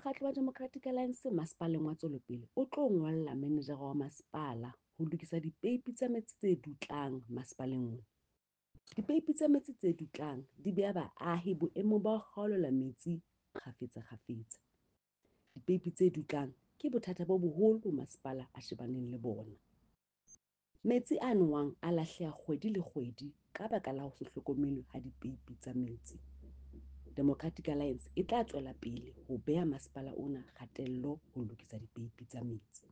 Mokgatlo wa Democratic Alliance masepaleng wa Tswelopele o tlo ngolla manejara wa masepala ho lokisa dipeipi tsa metsi tse dutlang masepaleng ona. Dipeipi tsa metsi tse dutlang di beha baahi boemong ba ho kgaolelwa metsi kgafetsa-kgafetsa. Dipeipi tse dutlang ke bothata bo boholo bo masepala a shebaneng le bona. Metsi a nowang a lahleha kgwedi le kgwedi ka baka la ho se hlokomelwe ha dipeipi tsa metsi. Democratic Alliance e tla tswela pele ho beha masepala ona kgatello ho lokisa dipeipi tsa metsi.